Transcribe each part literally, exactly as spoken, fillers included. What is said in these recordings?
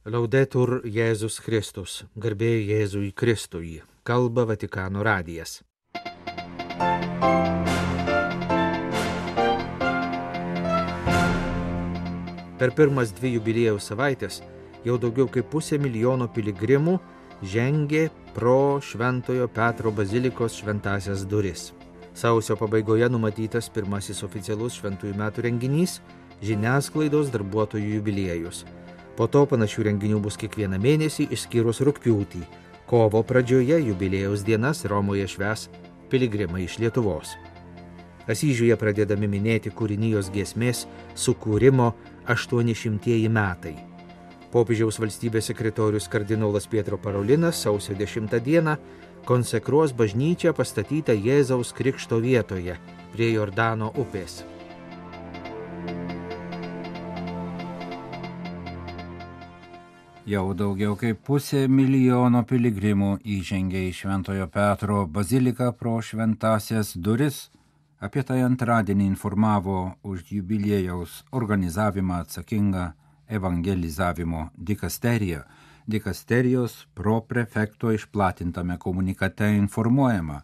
Laudetur Jėzus Kristus, garbė Jėzui Kristui, kalba Vatikano radijas. Per pirmas dvi jubiliejaus savaitės jau daugiau kaip pusė milijono piligrimų žengė pro Šventojo Petro bazilikos šventąsias duris. Sausio pabaigoje numatytas pirmasis oficialus šventųjų metų renginys – žiniasklaidos darbuotojų jubiliejus. Po to panašių renginių bus kiekvieną mėnesį išskyrus rugpjūtį. Kovo pradžioje jubiliejaus dienas Romoje švęs piligrimai iš Lietuvos. Asyžiuje pradedami minėti kūrinijos giesmės sukūrimo aštuonišimtieji metai. Popiežiaus valstybės sekretorius kardinolas Pietro Parolinas sausio dešimtą dieną konsekruos bažnyčią pastatytą Jėzaus Krikšto vietoje prie Jordano upės. Jau daugiau kaip pusė milijono piligrimų įžengė į Šventojo Petro baziliką pro šventąsias duris. Apie tai antradienį informavo už jubiliejaus organizavimą atsakinga evangelizavimo dikasterija. Dikasterijos proprefekto išplatintame komunikate informuojama,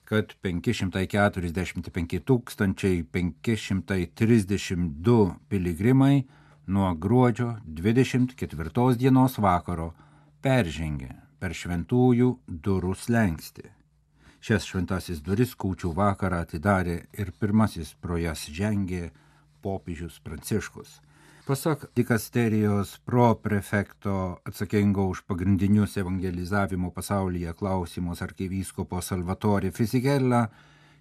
kad penki šimtai keturiasdešimt penki tūkstančiai penki šimtai trisdešimt du piligrimai nuo gruodžio dvidešimt ketvirtos dienos vakaro peržengė per šventųjų durų slenkstį. Šias šventasis duris kūčių vakarą atidarė ir pirmasis pro jas žengė popiežius Pranciškus. Pasak dikasterijos proprefekto atsakingo už pagrindinius evangelizavimo pasaulyje klausimus arkivyskupo Salvatore Fisichella,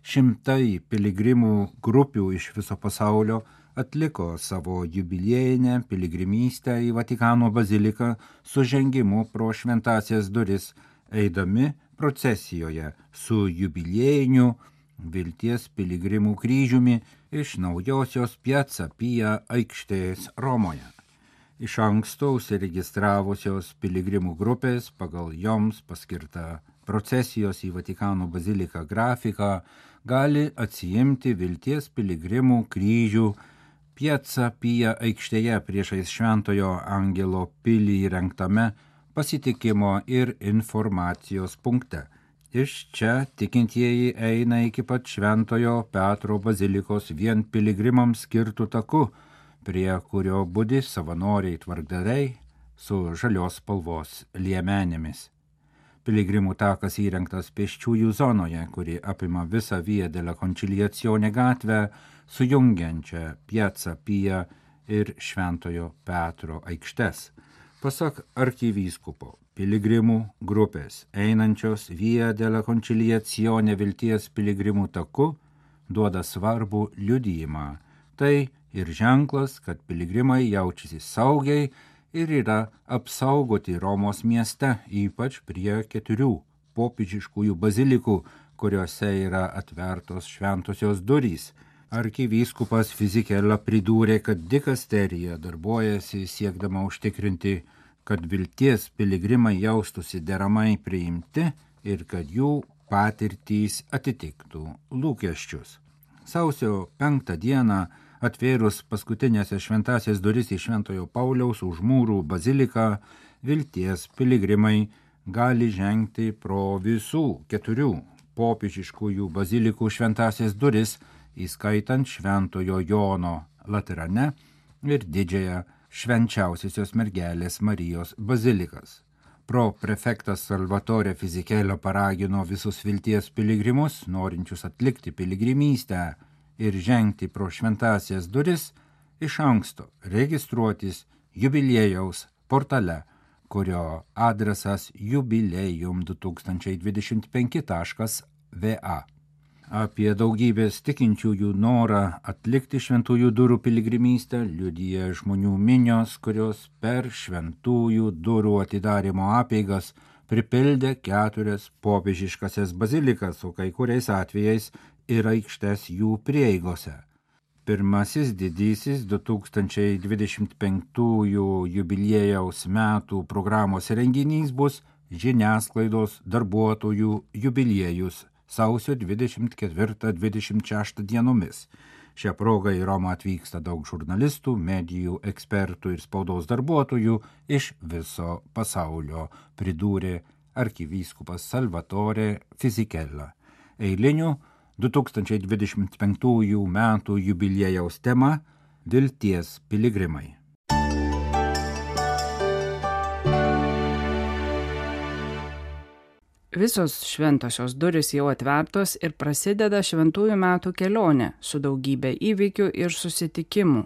šimtai piligrimų grupių iš viso pasaulio atliko savo jubiliejinę piligrimystę į Vatikano baziliką su žengimu pro šventąsias duris, eidami procesijoje su jubiliejiniu Vilties piligrimų kryžiumi iš naujosios Piazza Pia aikštės Romoje. Iš anksto užsiregistravusios piligrimų grupės pagal joms paskirtą procesijos į Vatikano baziliką grafiką gali atsiimti Vilties piligrimų kryžių Piazza Pia aikštėje priešais Šventojo Angelo pilį įrengtame pasitikimo ir informacijos punkte. Iš čia tikintieji eina iki pat Šventojo Petro bazilikos vien piligrimams skirtų taku, prie kurio budi savanoriai tvarkdariai su žalios spalvos liemenėmis. Piligrimų takas įrengtas pėsčiųjų zonoje, kuri apima visą Via della Conciliazione gatvę, sujungiančią Piazza Pia ir Šventojo Petro aikštes. Pasak arkivyskupo, piligrimų grupės einančios Via della Conciliazione Vilties piligrimų taku duoda svarbų liudijimą. Tai ir ženklas, kad piligrimai jaučiasi saugiai ir yra apsaugoti Romos mieste, ypač prie keturių popiežiškųjų bazilikų, kuriuose yra atvertos šventosios durys. Arkivyskupas Fisichella pridūrė, kad dikasterija darbuojasi siekdama užtikrinti, kad Vilties piligrimai jaustųsi deramai priimti ir kad jų patirtys atitiktų lūkesčius. Sausio penktą dieną atvėrus paskutinėse šventąsias duris į Šventojo Pauliaus už mūrų baziliką, Vilties piligrimai gali žengti pro visų keturių popiežiškųjų bazilikų šventąsias duris, įskaitant Šventojo Jono Laterane ir didžiąją Švenčiausiosios mergelės Marijos bazilikas. Proprefektas Salvatore Fisichella paragino visus Vilties piligrimus, norinčius atlikti piligrimystę ir žengti pro šventąsias duris, iš anksto registruotis jubiliejaus portale, kurio adresas jubiliejum du tūkstančiai dvidešimt penki taškas v a. Apie daugybės tikinčiųjų norą atlikti šventųjų durų piligrimystę liudija žmonių minios, kurios per šventųjų durų atidarymo apeigas pripildė keturias popiežiškasias bazilikas, o kai kuriais atvejais ir aikštes jų prieigose. Pirmasis didysis du tūkstančiai dvidešimt penktųjų jubiliejaus metų programos renginys bus žiniasklaidos darbuotojų jubiliejus sausio dvidešimt ketvirtą dvidešimt šeštą dienomis. Šią progą į Romą atvyksta daug žurnalistų, medijų, ekspertų ir spaudos darbuotojų iš viso pasaulio, pridūrė arkivyskupas Salvatore Fisichella. Eilinių du tūkstančiai dvidešimt penktųjų metų jubiliejaus tema – Vilties piligrimai. Visos šventosios durys jau atvertos ir prasideda šventųjų metų kelionė su daugybė įvykių ir susitikimų.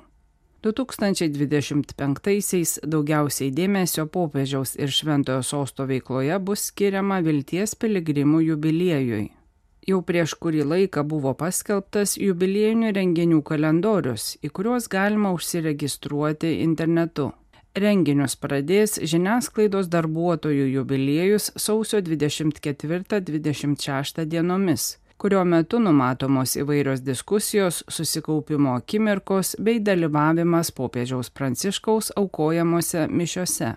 du tūkstančiai dvidešimt penktaisiais daugiausiai dėmesio popiežiaus ir šventojo sosto veikloje bus skiriama Vilties piligrimų jubiliejui. Jau prieš kurį laiką buvo paskelbtas jubiliejinių renginių kalendorius, į kuriuos galima užsiregistruoti internetu. Renginius pradės žiniasklaidos darbuotojų jubiliejus sausio dvidešimt ketvirtą dvidešimt šeštą dienomis, kurio metu numatomos įvairios diskusijos, susikaupimo akimirkos bei dalyvavimas popiežiaus Pranciškaus aukojamuose mišiose.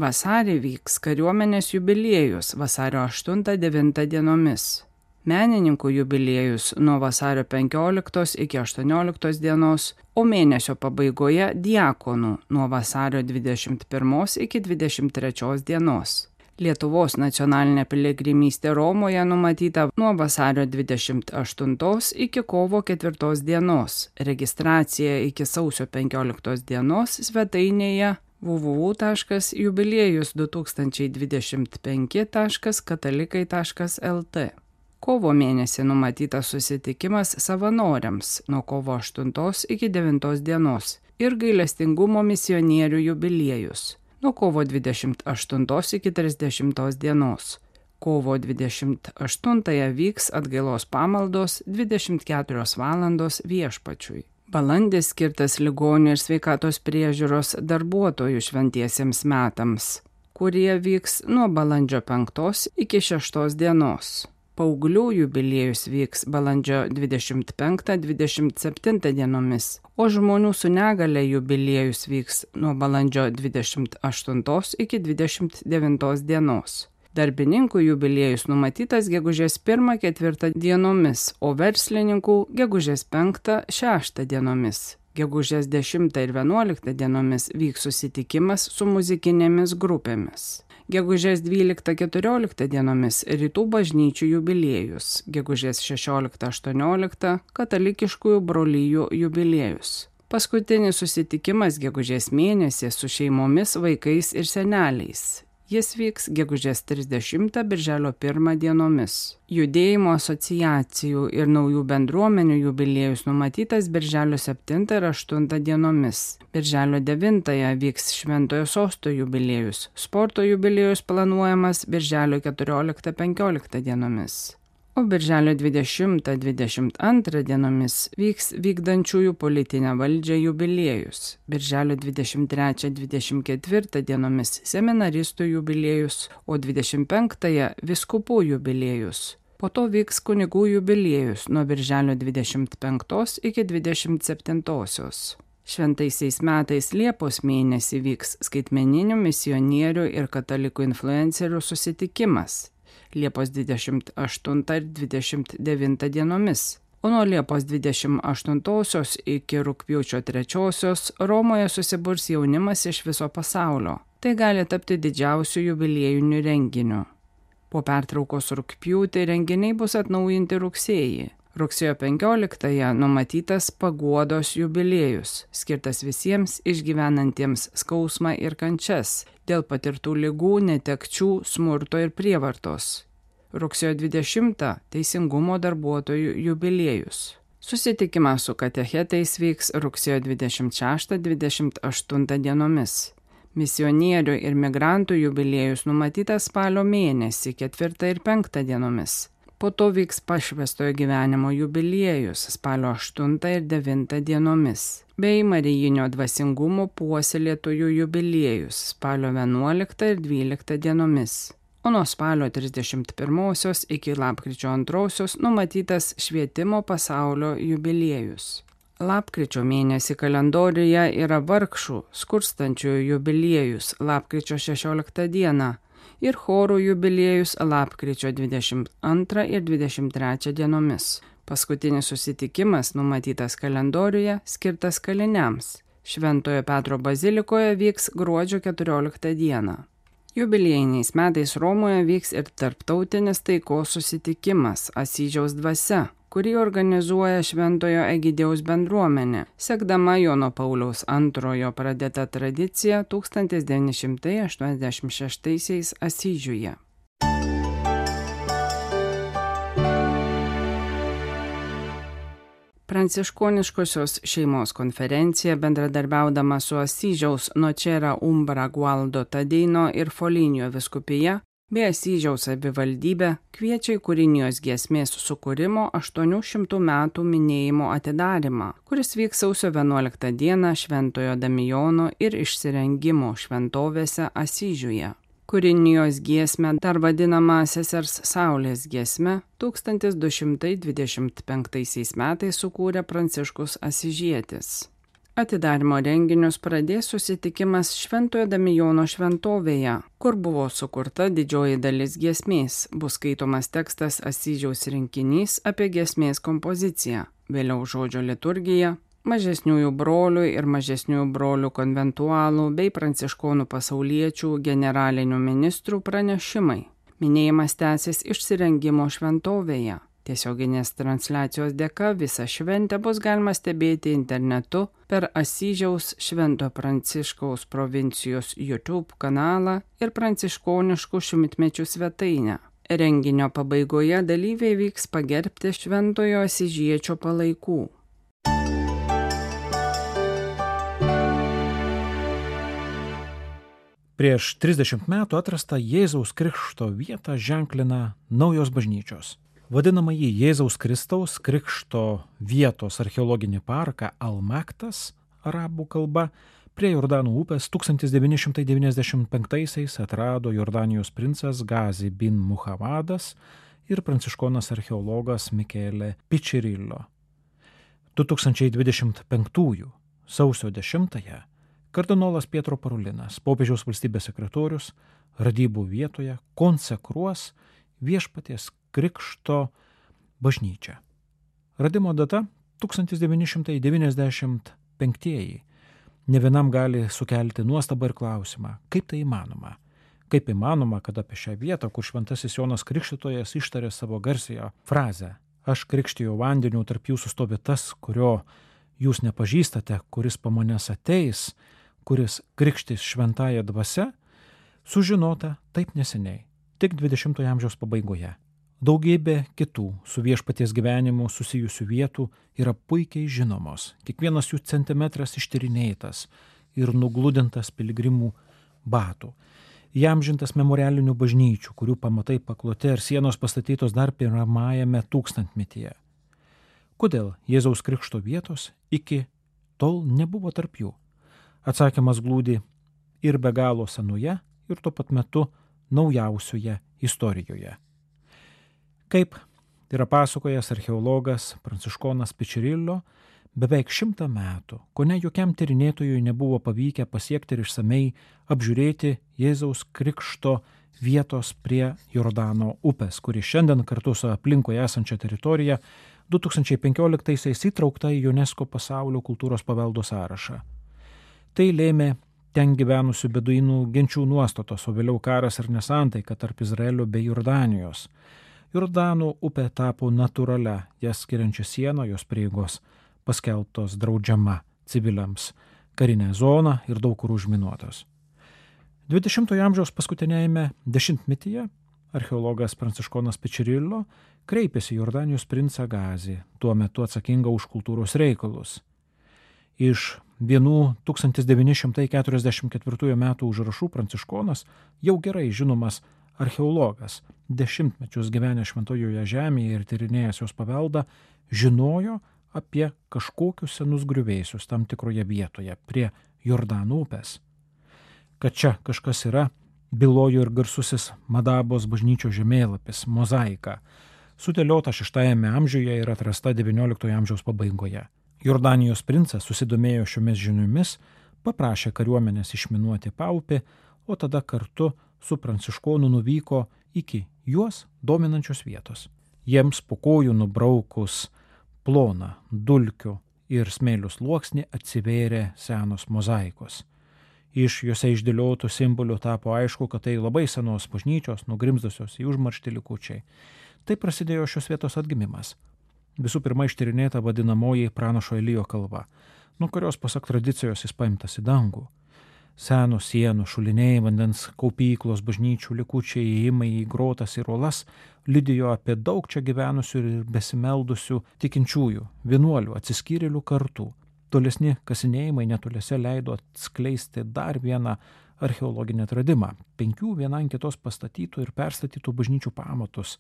Vasarį vyks kariuomenės jubiliejus vasario aštuntą devintą dienomis. Menininkų jubiliejus nuo vasario penkioliktos iki aštuonioliktos dienos, o mėnesio pabaigoje diakonų nuo vasario dvidešimt pirmos iki dvidešimt trečios dienos. Lietuvos nacionalinė piligrimystė Romoje numatyta nuo vasario dvidešimt aštuntos iki kovo ketvirtos dienos. Registracija iki sausio penkioliktos dienos svetainėje w w w taškas jubiliejus du tūkstančiai dvidešimt penki taškas katalikai taškas l t. Kovo mėnesį numatytas susitikimas savanoriams nuo kovo aštuntos iki devintos dienos ir gailestingumo misionierių jubiliejus nuo kovo dvidešimt aštuntos iki trisdešimtos dienos. Kovo dvidešimt aštuntąją vyks atgailos pamaldos dvidešimt keturios valandos viešpačiui. Balandis skirtas ligonių ir sveikatos priežiūros darbuotojų šventiesiems metams, kurie vyks nuo balandžio penktos iki šeštos dienos. Paauglių jubiliejus vyks balandžio dvidešimt penktą dvidešimt septintą dienomis, o žmonių su negale jubiliejus vyks nuo balandžio dvidešimt aštuntos iki dvidešimt devintos dienos. Darbininkų jubiliejus numatytas gegužės pirmą ketvirtą dienomis, o verslininkų gegužės penktą šeštą dienomis. Gegužės dešimtą ir vienuoliktą dienomis vyks susitikimas su muzikinėmis grupėmis. Gegužės dvyliktą keturioliktą dienomis rytų bažnyčių jubiliejus, gegužės šešioliktą aštuonioliktą katalikiškųjų brolijų jubiliejus. Paskutinis susitikimas gegužės mėnesį su šeimomis, vaikais ir seneliais. Jis vyks gegužės trisdešimtą birželio pirmą dienomis. Judėjimo asociacijų ir naujų bendruomenių jubiliejus numatytas birželio septintą ir aštuntą dienomis. Birželio devintąją vyks šventojo sosto jubiliejus. Sporto jubiliejus planuojamas birželio keturioliktą penkioliktą dienomis. O birželio dvidešimtą dvidešimt antrą dienomis vyks vykdančiųjų politinę valdžią jubiliejus. Birželio dvidešimt trečią dvidešimt ketvirtą dienomis seminaristų jubiliejus, o dvidešimt penktąją vyskupų jubiliejus. Po to vyks kunigų jubiliejus nuo birželio dvidešimt penktos iki dvidešimt septintosios. Šventaisiais metais Liepos mėnesį vyks skaitmeninių misionierių ir katalikų influencerių susitikimas. Liepos dvidešimt aštuntą ir dvidešimt devintą dienomis, o nuo Liepos dvidešimt aštuntosios iki rugpjūčio trečiosios Romoje susiburs jaunimas iš viso pasaulio. Tai gali tapti didžiausiu jubiliejiniu renginiu. Po pertraukos rugpjūtį renginiai bus atnaujinti rugsėjį. Rugsėjo penkioliktąją numatytas paguodos jubiliejus, skirtas visiems išgyvenantiems skausmą ir kančias dėl patirtų ligų, netekčių, smurto ir prievartos. Rugsėjo dvidešimtą teisingumo darbuotojų jubiliejus. Susitikimas su katechetais vyks rugsėjo dvidešimt šeštą dvidešimt aštuntą dienomis. Misionierių ir migrantų jubiliejus numatytas spalio mėnesį ketvirtą ir penktą dienomis. Po to vyks pašvęstojo gyvenimo jubiliejus spalio aštuntą ir devintą dienomis, bei Marijinio dvasingumo puoselėtojų jubiliejus spalio vienuoliktą ir dvyliktą dienomis. O nuo spalio trisdešimt pirmosios iki lapkričio antrosios numatytas švietimo pasaulio jubiliejus. Lapkričio mėnesį kalendoriuje yra vargšų, skurstančiųjų jubiliejus lapkričio šešioliktą dieną ir chorų jubiliejus lapkričio dvidešimt antrą ir dvidešimt trečią dienomis. Paskutinis susitikimas, numatytas kalendoriuje, skirtas kaliniams. Šventojo Petro bazilikoje vyks gruodžio keturioliktą dieną. Jubiliejiniais metais Romoje vyks ir tarptautinis taikos susitikimas Asyžiaus dvasia, kurį organizuoja Šventojo Egidijaus bendruomenė, sekdama Jono Pauliaus antrojo pradėtą tradiciją tūkstantis devyni šimtai aštuoniasdešimt šeštaisiais Asyžiuje. Pranciškoniškosios šeimos konferencija, bendradarbiaudama su Asyžiaus Nocera Umbra Gualdo Tadeino ir Foligno vyskupija bei Asyžiaus savivaldybė kviečia į kūrinijos giesmės sukūrimo aštuonių šimtų metų minėjimo atidarymą, kuris vyks sausio vienuoliktą dieną Šventojo Damijono ir Išsirengimo šventovėse Asyžiuje. Kūrinijos giesmę, dar vadinama Sesers Saulės giesme, tūkstantis du šimtai dvidešimt penktaisiais metais sukūrė Pranciškus Asyžietis. Atidarymo renginius pradės susitikimas Šventojo Damijono šventovėje, kur buvo sukurta didžioji dalis giesmės, bus skaitomas tekstas Asyžiaus rinkinys apie giesmės kompoziciją, vėliau žodžio liturgija, mažesniųjų brolių ir mažesniųjų brolių konventualų bei pranciškonų pasauliečių generalinių ministrų pranešimai. Minėjimas tęsis Išsirengimo šventovėje. Tiesioginės transliacijos dėka visą šventę bus galima stebėti internetu per Asyžiaus Švento Pranciškaus provincijos YouTube kanalą ir pranciškoniškų šimtmečių svetainę. Renginio pabaigoje dalyviai vyks pagerbti Šventojo Asyžiečio palaikų. Prieš trisdešimt metų atrastą Jėzaus Krikšto vietą ženklina naujos bažnyčios. Vadinamąjį Jėzaus Kristaus Krikšto vietos archeologinį parką Al-Maktas, arabų kalba, prie Jordano upės tūkstantis devyni šimtai devyniasdešimt penktaisiais atrado Jordanijos princas Gazi bin Muhamadas ir pranciškonas archeologas Michele Pičirillo. du tūkstančiai dvidešimt penktųjų sausio dešimtąją kardinolas Pietro Parulinas, popiežiaus valstybės sekretorius, radybų vietoje konsekruos Viešpaties Krikšto bažnyčią. Radimo data tūkstantis devyni šimtai devyniasdešimt penktieji. Ne vienam gali sukelti nuostabą ir klausimą, kaip tai įmanoma. Kaip įmanoma, kad apie šią vietą, kur šventasis Jonas Krikštytojas ištarė savo garsiąją frazę "Aš krikštiju vandeniu, tarp jūsų stovi tas, kurio jūs nepažįstate, kuris po manęs ateis, kuris krikštys šventąja dvasia", sužinota taip neseniai, tik dvidešimtojo amžiaus pabaigoje. Daugybė kitų su Viešpaties gyvenimu susijusių vietų yra puikiai žinomos, kiekvienas jų centimetras ištyrinėtas ir nugludintas piligrimų batų. Įamžintas memorialinių bažnyčių, kurių pamatai pakloti ir sienos pastatytos dar pirmajame tūkstantmetyje. Kodėl Jėzaus Krikšto vietos iki tol nebuvo tarp jų? Atsakymas glūdi ir be galo senoje, ir tuo pat metu naujausioje istorijoje. Kaip yra pasakojęs archeologas pranciškonas Pičirillo, beveik šimtą metų, kone jokiam tyrinėtojui nebuvo pavykę pasiekti ir išsamei apžiūrėti Jėzaus Krikšto vietos prie Jordano upės, kuri šiandien kartu su aplinkoje esančia teritorija du tūkstančiai penkioliktaisiais įtraukta į UNESCO pasaulio kultūros paveldo sąrašą. Tai lėmė ten gyvenusių beduinų genčių nuostatos, o vėliau karas ir nesantaika tarp Izraelio bei Jordanijos. Jordano upė tapo natūralia, jas skiriančia siena, jos prieigos paskelbtos draudžiama civiliams, karinė zona ir daug kur užminuotos. dvidešimtojo amžiaus paskutinėjame dešimtmetyje archeologas pranciškonas Pičirillo kreipėsi į Jordanijos princą Gazį, tuo metu atsakingą už kultūros reikalus. Iš vienų tūkstantis devyni šimtai keturiasdešimt ketvirtųjų metų užrašų pranciškonas, jau gerai žinomas archeologas, dešimtmečius gyvenęs šventojoje žemėje ir tyrinėjęs jos paveldą, žinojo apie kažkokius senus griuvėsius tam tikroje vietoje prie Jordano upės. Kad čia kažkas yra, bylojo ir garsusis Madabos bažnyčios žemėlapis, mozaika, sudėliota šeštajame amžiuje ir atrasta devynioliktojo amžiaus pabaigoje. Jordanijos princas susidomėjo šiomis žiniomis, paprašė kariuomenės išminuoti paupį, o tada kartu su pranciškonu nuvyko iki juos dominančios vietos. Jiems po kojų nubraukus ploną dulkių ir smėlių sluoksnį atsivėrė senos mozaikos. Iš juose išdėliotų simbolių tapo aišku, kad tai labai senos bažnyčios, nugrimzdusios į užmarštį likučiai. Tai prasidėjo šios vietos atgimimas. Visų pirma ištyrinėta vadinamoji pranašo Elijo kalba, nuo kurios pasak tradicijos jis paimtas į dangų. Senos sienų, šuliniai, vandens kaupyklos, bažnyčių likučiai, įėjimai į grotas ir uolas liudijo apie daug čia gyvenusių ir besimeldusių tikinčiųjų, vienuolių, atsiskyrėlių kartų. Tolesni kasinėjimai netoliese leido atskleisti dar vieną archeologinį atradimą – penkių viena ant kitos pastatytų ir perstatytų bažnyčių pamatus,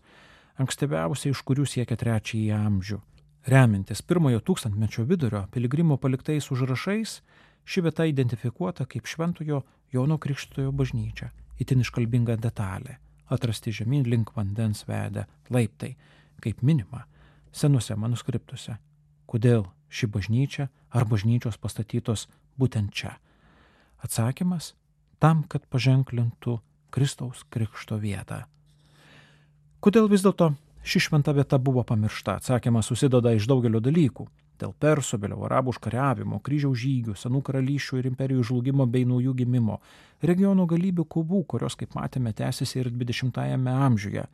ankstyviausiai iš kurių siekia trečiąjį amžių. Remiantis pirmojo tūkstantmečio vidurio piligrimų paliktais užrašais, ši vieta identifikuota kaip Šventojo Jono Krikštytojo bažnyčia, itin iškalbinga detalė, atrasti žemyn link vandens vedę laiptai, kaip minima senuose manuskriptuose. Kodėl ši bažnyčia ar bažnyčios pastatytos būtent čia? Atsakymas – tam, kad paženklintų Kristaus Krikšto vietą. Kodėl vis dėlto ši šventa vieta buvo pamiršta? Atsakymas susideda iš daugelio dalykų. Dėl persų, vėliau arabų užkariavimo, kryžiaus žygių, senų karalysčių ir imperijų žlugimo bei naujų gimimo, regiono galybių kovų, kurios, kaip matėme, tęsiasi ir dvidešimtajame amžiuje,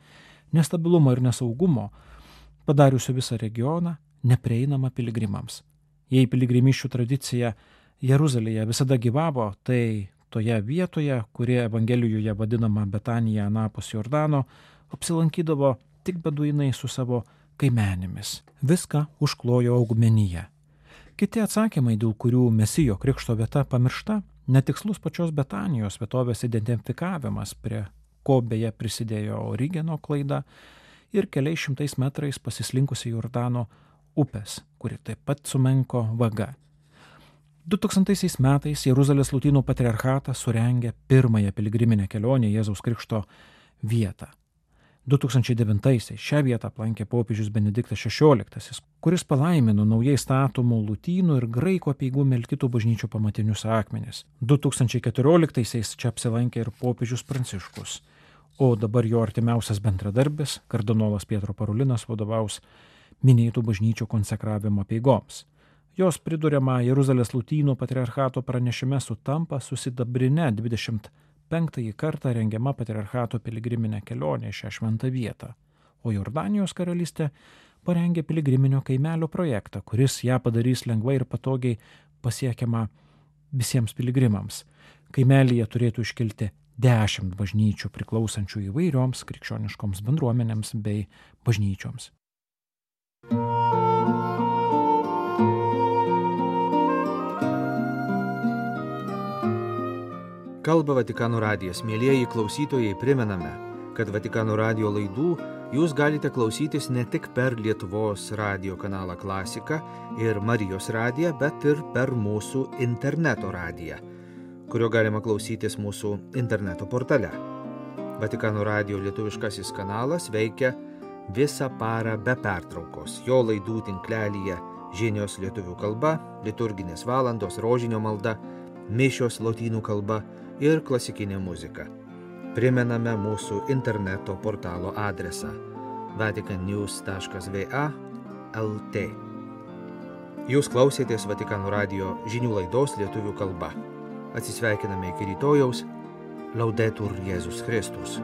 nestabilumo ir nesaugumo, padariusio visą regioną neprieinamą piligrimams. Jei piligrimiščių tradicija Jeruzalėje visada gyvavo, tai toje vietoje, kuri Evangelijoje vadinama Betanija anapus Jordano, apsilankydavo tik beduinai su savo kaimenėmis. Viską užklojo augmenija. Kiti atsakymai, dėl kurių Mesijo Krikšto vieta pamiršta, netikslus pačios Betanijos vietovės identifikavimas, prie ko beje prisidėjo Origeno klaida, ir keliais šimtais metrais pasislinkusi Jordano upės, kuri taip pat sumenko vaga. du tūkstantaisiais metais Jeruzalės Lotynų patriarchatas surengė pirmąją piligriminę kelionę Jėzaus Krikšto vietą. du tūkstančiai devintaisiais šią vietą aplankė popiežius Benediktas šešioliktasis, kuris palaimino naujai statomų lotynų ir graikų apeigų melkitų bažnyčių pamatinius akmenis. du tūkstančiai keturioliktaisiais čia apsilankė ir popiežius Pranciškus, o dabar jo artimiausias bendradarbis, kardinolas Pietro Parolinas, vadovaus minėtų bažnyčių konsekravimo apeigoms. Jos priduriama Jeruzalės Lotynų patriarchato pranešime sutampa su sidabrine dvidešimt penktąjį kartą rengiama patriarchato piligriminė kelionė šią šventą vietą, o Jordanijos karalystė parengė piligriminio kaimelio projektą, kuris ją padarys lengvai ir patogiai pasiekiamą visiems piligrimams. Kaimelyje turėtų iškilti dešimt bažnyčių priklausančių įvairioms krikščioniškoms bendruomenėms bei bažnyčioms. Kalba Vatikano radijas. Mielieji klausytojai, primename, kad Vatikano radijo laidų jūs galite klausytis ne tik per Lietuvos radijo kanalą Klasika ir Marijos radiją, bet ir per mūsų interneto radiją, kurio galima klausytis mūsų interneto portale. Vatikano radijo lietuviškasis kanalas veikia visą parą be pertraukos. Jo laidų tinklelyje žinios lietuvių kalba, liturginės valandos, rožinio malda, mišios lotynų kalba ir klasikinė muzika. Primename mūsų interneto portalo adresą vatican news taškas v a taškas l t. Jūs klausėtės Vatikano radijo žinių laidos lietuvių kalba. Atsisveikiname iki rytojaus. Laudetur Jėzus Kristus.